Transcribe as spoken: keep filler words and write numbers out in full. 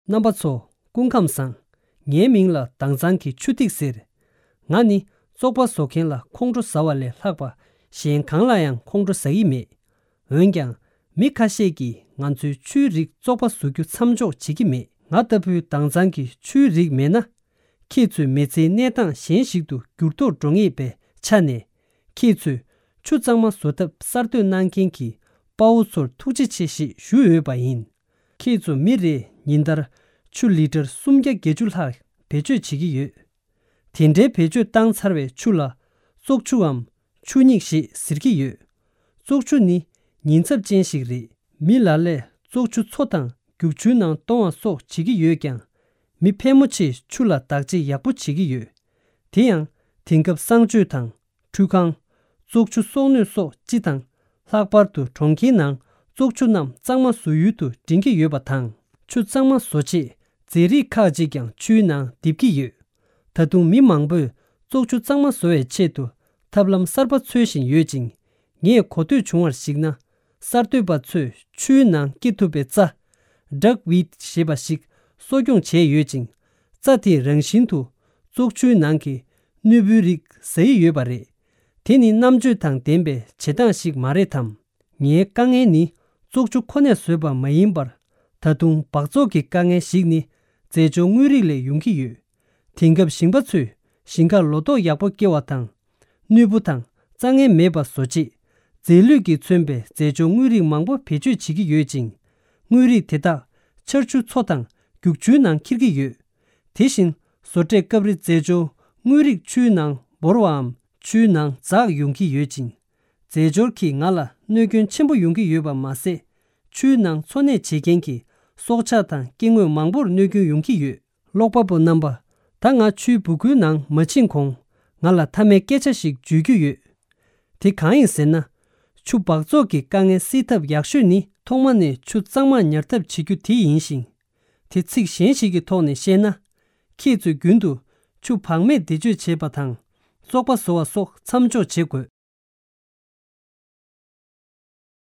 རྣམ་པ་ཚོ། སྐུ་ཁམས་བཟང་། ངའི་མིང་ལ་དྭངས་གཙང་གི་ཆུ་ཐིགས་ཟེར། ང་ནི་བཙོག་པ་བཟོ་མཁན་ལ་ཁོང་ཁྲོ་ཟ་བ་ལས་ལྷག་པ་གཞན་གང་ལ་ཡང་ཁོང་ཁྲོ་ཟ་གི་མེད། འོན་ཀྱང་། མི་ཁ་ཤས་ཀྱིས་ང་ཚོའི་ཆུའི་རིགས་བཙོག་པ་བཟོ་རྒྱུ་མཚམས་འཇོག་བྱེད་ཀྱི་མེད། ང་ལྟ་བུའི་དྭངས་གཙང་གི་ཆུའི་རིགས་མེད་ན། ཁྱེད་ཚོས་མི་ཚེའི་གནས་སྟངས་གཞན་ཞིག་ཏུ་འགྱུར་ལྡོག་འགྲོ་ངེས་པའི་ཆ་ནས། ཁྱེད་ཚོས་ཆུ་གཙང་མ་བཟོ་ཐབས་གསར་གཏོད་གནང་མཁན་གྱི་དཔའ་བོ་ཚོར་ཐུགས་རྗེ་ཆེ་ཞེས་ཞུ་འོས་པ་ཡིན། ཁྱེད་ཚོ་མི་རེས་ཉིན་ལྟར་ཆུ་ལི་ཊར་སུམ་བརྒྱ་བརྒྱད་ཅུ་ལྷག་བེད་སྤྱོད་བྱེད་ཀྱི་ཡོད། དེ་འདྲའི་བེད་སྤྱོད་བཏང་ཚར་བའི་ཆུ་ལ་བཙོག་ཆུའམ་ཆུ་སྙིགས་ཞེས་ཟེར་གྱི་ཡོད། བཙོག་ཆུ་ནི་ཉེན་ཚབས་ཅན་ཞིག་རེད། མི་ལ་ལས་བཙོག་ཆུ་མཚོ་དང་རྒྱུག་ཆུའི་ནང་གཏོང་བ་སོགས་བྱེད་ཀྱི་ཡོད་ཀྱང་། མི་ཕལ་མོ་ཆེས་ཆུ་ལ་བདག་གཅེས་ཡག་པོ་བྱེད་ཀྱི་ཡོད། དེ་ཡང་དེང་སྐབས་གསང་སྤྱོད་དང་། ཁྲུས་ཁང་། བཙོག་ཆུ་གསོག་སྣོད་སོགས་སྤྱི་དང་། ལྷག་པར་དུ་གྲོང་ཁྱེར་ནང་བཙོག་ཆུ་རྣམས་གཙང་མ་བཟོ་ཡུལ་དུ་འདྲེན་གྱི་ཡོད་པ་དང་། ཆུ་གཙང་མ་བཟོ་ཆེད་རྫས་རིགས་ཁག་ཅིག་ཀྱང་ཆུའི་ནང་འདེབས་ཀྱི་ཡོད། ད་དུང་མི་མང་པོས་བཙོག་ཆུ་གཙང་མ་བཟོ་བའི་ཆེད་དུ་ཐབས་ལམ་གསར་པ་འཚོལ་བཞིན་ཡོད་ཅིང་། ངས་གོ་ཐོས་བྱུང་བར་གཞིགས་ན། གསར་གཏོད་པ་ཚོས་ཆུའི་ནང་སྐྱེ་ཐུབ་པའི་རྩྭ། ཌག་ཝིཌ་ཞེས་པ་ཞིག་གསོ་སྐྱོང་བྱས་ཡོད་ཅིང་། རྩྭ་དེས་རང་བཞིན་དུ་བཙོག་ཆུའི་ནང་གི་གནོད་འབུའི་རིགས་ཟ་ཡི་ཡོད་པ་རེད། དེ་ནི་རྣམ་དཔྱོད་དང་ལྡན་པའི་བྱེད་སྟངས་ཤིག་མ་རེད་དམ། ངའི་དཀའ་ངལ་ནི་བཙོག་ཆུ་ཁོ་ནས་བཟོས་པ་མ་ཡིན་པར། ད་དུང་འབག་བཙོག་གི་དཀའ་ངལ་ཞིག་ནི་རྫས་སྦྱོར་དངོས་རིགས་ལས་ཡོང་གི་ཡོད། དེང་སྐབས་ཞིང་པ་ཚོས་ཞིང་ཁར་ལོ་ཏོག་ཡག་པོ་སྐྱེ་བ་དང་། གནོད་འབུ་དང་རྩྭ་ངན་མེད་པ་བཟོ་ཆེད། རྫས་ལུད་ཀྱིས་མཚོན་པའི་རྫས་སྦྱོར་དངོས་རིགས་མང་པོ་བེད་སྤྱོད་བྱེད་ཀྱི་ཡོད་ཅིང་། དངོས་རིགས་དེ་དག་ཆར་ཆུ་མཚོ་དང་རྒྱུག་ཆུའི་ནང་འཁྱེར་གྱི་ཡོད། དེ་བཞིན་བཟོ་གྲྭས་སྐབས་རེ་རྫས་སྦྱོར་དངོས་རིགས་ཆུའི་ནང་འབོར་བའམ་ཆུའི་ནང་འཛག་ཡོང་གི་ཡོད་ཅིང་། རྫས་སྦྱོར་གྱིས་ང་ལ་གནོད་སྐྱོན་ཆེན་པོ་ཡོང་གི་ཡོད་པ་མ་ཟད། ཆུའི་ནང་འཚོ་གནས་བྱེད་མཁན་གྱི་སྲོག་ཆགས་དང་སྐྱེ་དངོས་མང་པོར་གནོད་སྐྱོན་ཡོང་གི་ཡོད། ཀློག་པ་པོ་རྣམ་པ། ད་ང་ཆུའི་སྦུ་གུའི་ནང་མ་ཕྱིན་གོང་། ང་ལ་མཐའ་མའི་སྐད་ཆ་ཞིག་བརྗོད་རྒྱུ་ཡོད། དེ་གང་ཡིན་ཟེར་ན། ཆུ་འབག་བཙོག་གི་དཀའ་ངལ་སེལ་ཐབས་ཡག་ཤོས་ནི་ཐོག་མ་ནས་ཆུ་གཙང་མ་ཉར་ཐབས་བྱེད་རྒྱུ་དེ་ཡིན་ཞིང་། དེ་ཚིག་གཞན་ཞིག་གི་ཐོག་ནས་བཤད་ན། ཁྱེད་ཚོས་རྒྱུན་དུ་ཆུ་བག་མེད་བེད་སྤྱོད་བྱེད་པ་དང་། བཙོག་པ་བཟོ་བ་སོགས་མཚམས་འཇོག་བྱེད་དགོས།